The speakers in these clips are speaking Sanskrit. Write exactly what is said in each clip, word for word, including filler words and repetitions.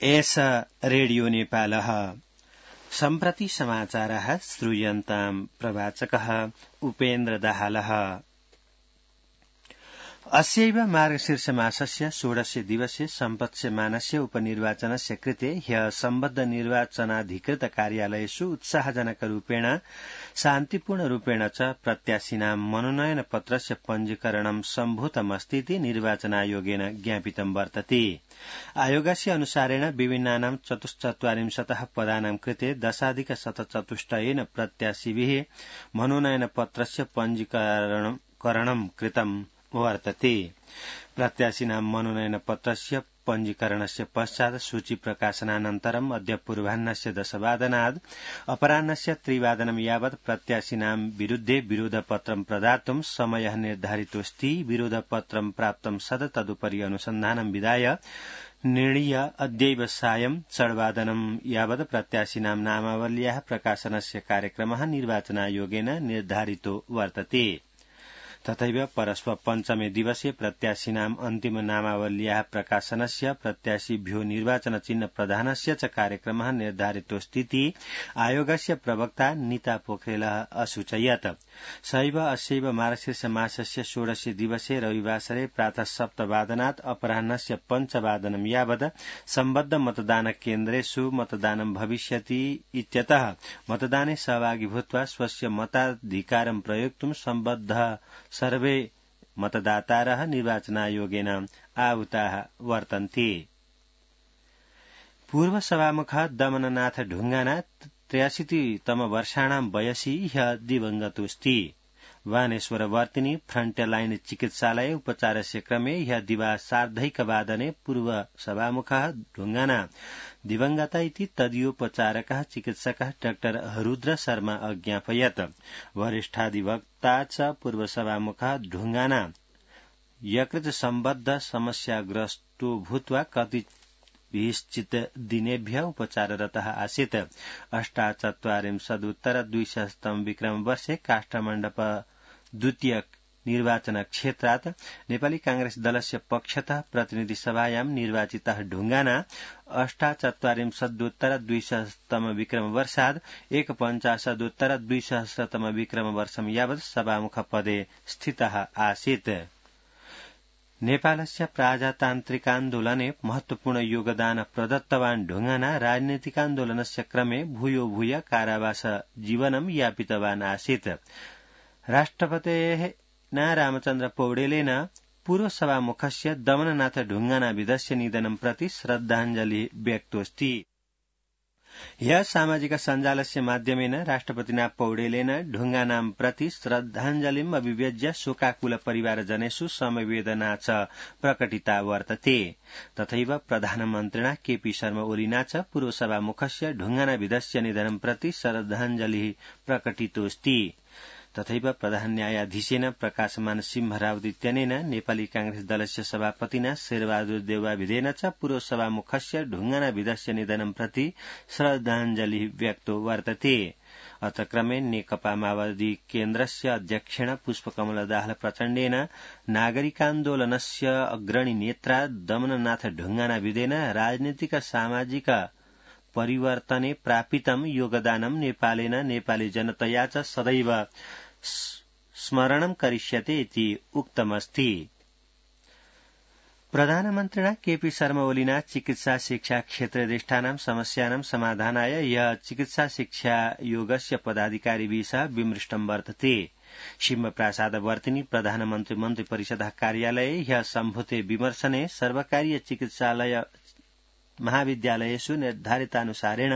एष रेडियो नेपालः सम्प्रति समाचारः श्रूयन्ताम् प्रवाचकः उपेन्द्र दाहालः। अस्यैव मार्गशीर्षमासस्य षोडश दिवसे सम्पत्स्यमानस्य उपनिर्वाचनस्य कृते ह्यः सम्बद्ध निर्वाचनाधिकृत कार्यालयेषु उत्साहजनकरूपेण शान्तिपूर्णरूपेण च प्रत्याशिनां मनोनयन पत्रस्य पञ्जीकरणं सम्भूतमस्तीति निर्वाचनायोगेन ज्ञापितं वर्तते। आयोगस्य अनुसारेण विभिन्नानां चतुश्चत्वारिंशतः पदानां कृते दशाधिक शतचतुष्टयेन प्रत्याशिभिः मनोनयन पत्रस्य पञ्जीकरणं कृतम् वर्तते। प्रत्याशिनां मनोनयन पत्रस्य पञ्जीकरणस्य पश्चात् सूची प्रकाशनानन्तरम् अद्य पूर्वाह्नस्य दशवादनात् अपराह्नस्य त्रिवादनं यावत् प्रत्याशिनां विरुद्धे विरोधपत्रं प्रदातुं समयः निर्धारितोऽस्ति। विरोधपत्रं प्राप्तं सद तदुपरि अनुसन्धानं विधाय निर्णीय अद्यैव सायं षड्वादनं यावत् प्रत्याशिनां नामावल्याः प्रकाशनस्य कार्यक्रमः निर्वाचनायोगेन निर्धारितो वर्तते। तथैव परश्व पञ्चमे दिवसे प्रत्याशिनाम् अन्तिम नामावल्याः प्रकाशनस्य प्रत्याशिभ्यो निर्वाचन चिह्न प्रदानस्य च कार्यक्रमः निर्धारितोऽस्तीति आयोगस्य प्रवक्ता नीता पोखरेलः असूचयत्। सहैव अस्यैव मार्गशीर्ष मासस्य षोडश दिवसे रविवासरे प्रातः सप्तवादनात् अपराह्नस्य पञ्चवादनं यावत् सम्बद्ध मतदान केन्द्रेषु मतदानं भविष्यति इत्यतः मतदाने सहभागी भूत्वा स्वस्य मताधिकारं प्रयोक्तुं सम्बद्ध सर्वे मतदातारः निर्वाचनायोगेन आहुताः वर्तन्ते। पूर्व सभामुखः दमननाथ ढुंगाना त्र्याशीतितम वर्षाणां वयसि ह्यः दिवंगतोऽस्ति। वानेश्वरवर्तिनी फ्रंटलाइन चिकित्सालये उपचारस्य क्रमे ह्यः दिवा सार्धैकवादने पूर्व सभामुखः ढुंगाना दिवंगता इति तदीयोपचारकः चिकित्सकः डाक्टर रुद्र शर्मा अज्ञापयत्। वरिष्ठाधिवक्ता च पूर्व सभामुखः ढुंगाना यकृत सम्बद्ध समस्याग्रस्तो भूत्वा कतिचित् दिनेभ्यः उपचाररतः आसीत्। अष्टाचत्वारिंशदुत्तर द्विसहस्रतम विक्रम वर्षे काष्ठमण्डप द्वितीय निर्वाचन क्षेत्रात् नेपाली कांग्रेस दलस्य पक्षतः प्रतिनिधि सभायां निर्वाचितः ढुंगाना अष्टाचत्वारिंशदुत्तर द्विसहस्रतम विक्रम वर्षात् एकपञ्चाशदुत्तर द्विसहस्रतम विक्रम वर्षं यावत् सभामुख पदे स्थितः आसीत्। नेपालस्य प्रजातान्त्रिकान्दोलने महत्वपूर्ण योगदान प्रदत्तवान् ढुंगाना राजनीतिकान्दोलनस्य क्रमे भूयो भूय कारावास जीवनं यापितवान् आसीत्। राष्ट्रपतेः न रामचन्द्र पौडेलेन पूर्व सभामुखस्य दमननाथ ढुंगाना विधस्य निधनं प्रति श्रद्धाञ्जलि व्यक्तोऽस्ति। ह्यः सामाजिक सञ्जालस्य माध्यमेन राष्ट्रपतिना पौडेलेन ढुंगानां प्रति श्रद्धाञ्जलिम् अभिव्यज्य शोकाकुल परिवारजनेषु समवेदना च प्रकटिता वर्तते। तथैव प्रधानमन्त्रिणा केपी शर्मा ओलीना च पूर्व सभामुखस्य ढुंगाना विधस्य निधनं प्रति श्रद्धाञ्जलिः प्रकटितोऽस्ति। तथैव प्रधान न्यायाधीशेन प्रकाशमान सिंह रावत इत्यनेन नेपाली कांग्रेस दलस्य सभापतिना शेरबहादुर देउवाभिधेन च पूर्व सभामुखस्य ढुंगाना विधस्य निधनं प्रति श्रद्धाञ्जलिः व्यक्तो वर्तते। अथ क्रमे नेकपा माओवादी केन्द्रस्य अध्यक्षेण पुष्पकमल दाहाल प्रचण्डेन नागरिकान्दोलनस्य अग्रणी नेत्रा दमननाथ ढुंगाना विधेन राजनीतिक सामाजिक परिवर्तने प्रापितं योगदानं नेपालेन नेपाली जनतया च सदैव स्मरणं करिष्यते इति उक्तमस्ति। प्रधानमन्त्रिणा केपी शर्मा ओलीना चिकित्सा शिक्षा क्षेत्रनिष्ठानां समस्यानां समाधानाय यः चिकित्सा शिक्षा योगस्य पदाधिकारिभिः सह विमृष्टं वर्तते। सिंहप्रसादवर्तिनी प्रधानमन्त्री मन्त्री परिषदः कार्यालये ह्यः सम्भूते विमर्शने सर्वकारीय चिकित्सालय महाविद्यालयेषु निर्धारितानुसारेण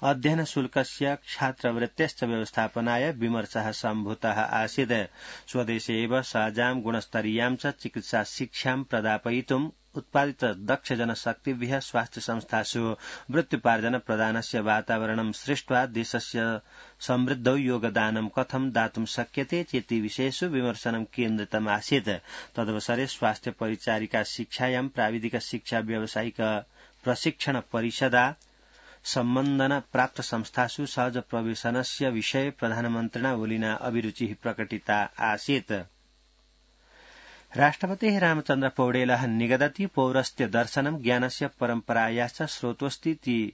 अध्ययन शुल्कस्य छात्रवृत्तेश्च व्यवस्थापनाय विमर्शः सम्भूतः आसीत्। स्वदेशे एव सहजां गुणस्तरीयां च चिकित्सा शिक्षां प्रदापयितुम् उत्पादित दक्ष जनशक्तिभ्यः स्वास्थ्य संस्थासु वृत्त्युपार्जन प्रदानस्य वातावरणं सृष्ट्वा देशस्य समृद्धौ योगदानं कथं दातुं शक्यते चेति विषयेषु विमर्शनं केन्द्रितम् आसीत्। तदवसरे स्वास्थ्य परिचारिका शिक्षायां प्राविधिक शिक्षा व्यावसायिक प्रशिक्षण परिषदा सम्बन्धन प्राप्त संस्थासु सहज प्रवेशनस्य विषये प्रधानमन्त्रिणा ओलीना अभिरुचिः प्रकटिता आसीत्। राष्ट्रपतिः रामचन्द्र पौडेलः निगदति पौरस्त्य दर्शनं ज्ञानस्य परम्परायाश्च स्रोतोऽस्तीति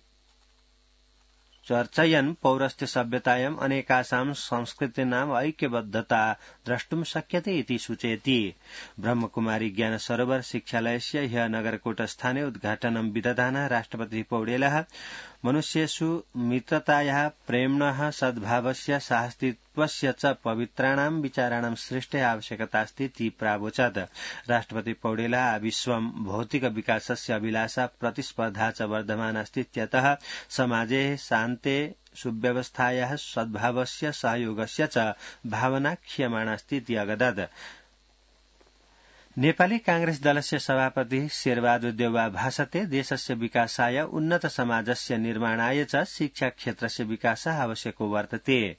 चर्चयन् पौरस्त्य सभ्यतायाम् अनेकासां संस्कृतीनाम् ऐक्यबद्धता द्रष्टुं शक्यते इति सूचयति। ब्रह्मकुमारी ज्ञान सरोवर शिक्षालयस्य ह्यः नगरकोटस्थाने उद्घाटनं विदधानः राष्ट्रपतिः पौडेलः मनुष्येषु मित्रतायाः प्रेम्णः सद्भावस्य साहसित्वस्य च पवित्राणां विचाराणां सृष्टे आवश्यकतास्ति इति प्रावोचत्। राष्ट्रपति पौडेलः विश्वं भौतिक विकासस्य अभिलाषा प्रतिस्पर्धा च वर्धमानास्ति इत्यतः समाजे शान्ते सुव्यवस्थायाः सद्भावस्य सहयोगस्य च भावना क्षीयमाणास्ति इति अगदत्। नेपाली कांग्रेस दलस्य सभापति शेरबहादुर देउवा भाषते देशस्य विकासाय उन्नत समाजस्य निर्माणाय च शिक्षा क्षेत्रस्य विकासः आवश्यको वर्तते।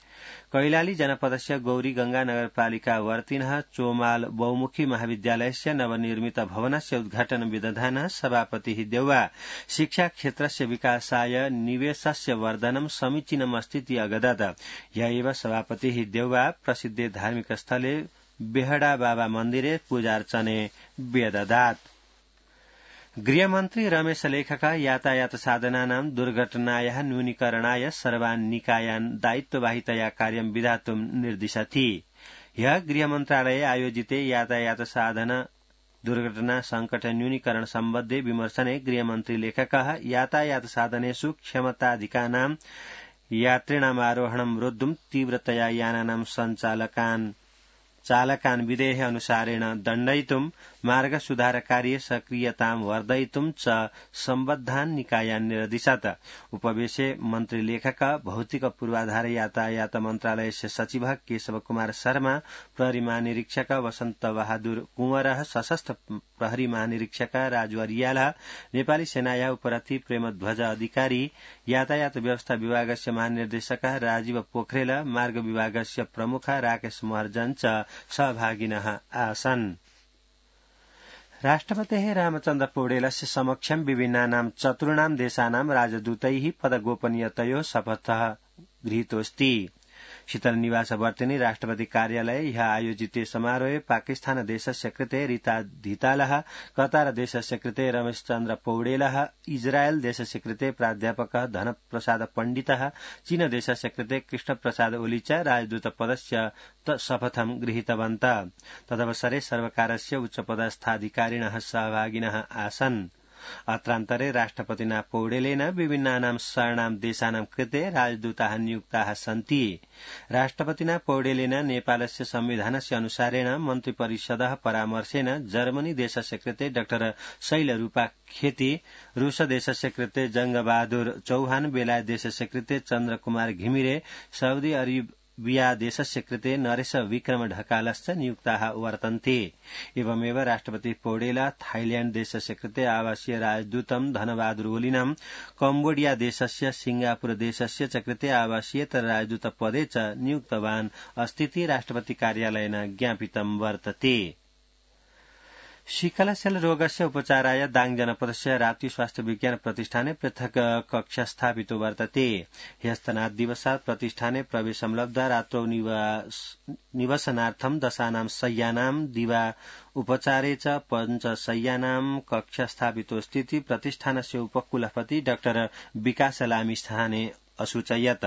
कैलाली जनपदस्य गौरीगंगा नगरपालिका वर्तिनः चोमाल बहुमुखी महाविद्यालयस्य नवनिर्मित भवनस्य उद्घाटन विदधानः सभापतिः देउवा शिक्षा क्षेत्रस्य विकासाय निवेशस्य वर्धनं समीचीनमस्ति इति अगदत्। ह्य एव सभापतिः देउवा प्रसिद्धे धार्मिक स्थले बेहडा बाबा मन्दिरे पूजार्चने व्यददात्। गृहमन्त्री रमेश लेखका यातायात साधनानां दुर्घटनायाः न्यूनीकरणाय सर्वान् निकायान् दायित्ववाहितया कार्यं विधातुं निर्दिशति। ह्यः गृहमन्त्रालये आयोजिते यातायात साधन दुर्घटना संकट न्यूनीकरण सम्बद्धे विमर्शने गृहमन्त्री लेखकः यातायात साधनेषु क्षमताधिकानां यात्रिणामारोहणं रोद्धुं तीव्रतया यानानां सञ्चालकान् चालकान् विधेः अनुसारेण दण्डयितुं मार्ग सुधारकार्ये सक्रियतां वर्धयितुं च सम्बद्धान् निकायान् निर्दिशत्। उपवेशे मन्त्री लेखक भौतिक पूर्वाधार यातायात मन्त्रालयस्य सचिवः केशव कुमार शर्मा, प्रहरी महानिरीक्षक वसन्त बहादुर कुंवरः, सशस्त्र प्रहरी महानिरीक्षक राजु अरियालः, नेपाली सेनाया उपरथी प्रेमध्वज अधिकारी, यातायात व्यवस्था विभागस्य महानिर्देशकः राजीव पोखरेल, मार्ग विभागस्य प्रमुख राकेश महर्जन च सहभागिनः आसन्। राष्ट्रपतेः रामचन्द्र पौडेलस्य समक्षं विभिन्नानां चतुर्णां देशानां राजदूतैः पदगोपनीयतयोः शपथः गृहीतोऽस्ति। शीतल निवास वर्तिनि राष्ट्रपति कार्यालये ह्यः आयोजिते समारोहे पाकिस्तान देशस्य कृते रीता धितालः, कतार देशस्य कृते रमेशचन्द्र पौडेलः, इजरायल देशस्य कृते प्राध्यापकः धनप्रसाद पण्डितः, चीन देशस्य कृते कृष्णप्रसाद ओली च राजदूतपदस्य शपथं गृहीतवन्तः। तदवसरे सर्वकारस्य उच्चपदस्थाधिकारिणः सहभागिनः आसन्। अत्रान्तरे राष्ट्रपतिना पौडेलेन विभिन्नानां शरणां देशानां कृते राजदूताः नियुक्ताः सन्ति। राष्ट्रपतिना पौडेलेन नेपालस्य संविधानस्य अनुसारेण मन्त्रिपरिषदः परामर्शेन जर्मनी देशस्य कृते डाक्टर शैलरूपा खेती, रूस देशस्य कृते जंगबहादुर चौहान, बेलायत देशस्य कृते चन्द्रकुमार घिमिरे, साउदी अरब विया देशस्य कृते नरेश विक्रम ढकालश्च नियुक्ताः वर्तन्ते। एवमेव राष्ट्रपति पौडेल थाईलैण्ड देशस्य कृते आवासीय राजदूतं धनबहादुर ओलिनं, कम्बोडिया देशस्य सिंगापुर देशस्य च कृते आवासीयेतर राजदूतपदे च नियुक्तवान् अस्तीति राष्ट्रपति कार्यालयेन ज्ञापितं वर्तते। शिखलसेल रोगस्य उपचाराय दाङ जनपदस्य राप्ती स्वास्थ्य विज्ञान प्रतिष्ठाने पृथक कक्ष स्थापितो वर्तते। ह्यस्तनात् दिवसात् प्रतिष्ठाने प्रवेशं लब्धा रात्रौ निवसनार्थं दशानां शय्यानां दिवा उपचारे च पञ्चशय्यानां कक्ष स्थापितोऽस्तीति प्रतिष्ठानस्य उपकुलपति डाक्टर विकास लामिछाने असूचयत्।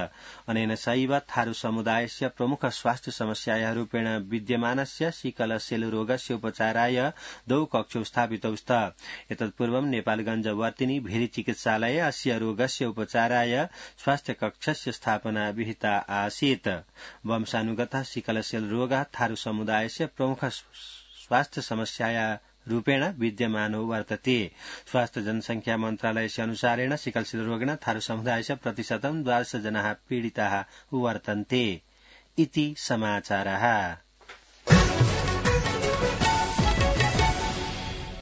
अनेन सैव थारू समुदायस्य प्रमुख स्वास्थ्य समस्यायाः रूपेण विद्यमानस्य शिखलसेल रोगस्य उपचाराय द्वौ कक्षौ स्थापितौ स्तः। एतत्पूर्वं नेपालगञ्ज वर्तिनि भेरी चिकित्सालये अस्य रोगस्य उपचाराय स्वास्थ्य कक्षस्य स्थापना विहिता आसीत्। वंशानुगतः शिखलसेल रोगः थारू समुदायस्य प्रमुख स्वास्थ्य समस्याया रूपेण विद्यमानो वर्तते। स्वास्थ्य जनसंख्या मन्त्रालयस्य अनुसारेण सिकलसेल रोगेण थारू समुदायस्य प्रतिशतं द्वादश जनाः पीडिताः वर्तन्ते इति समाचारः।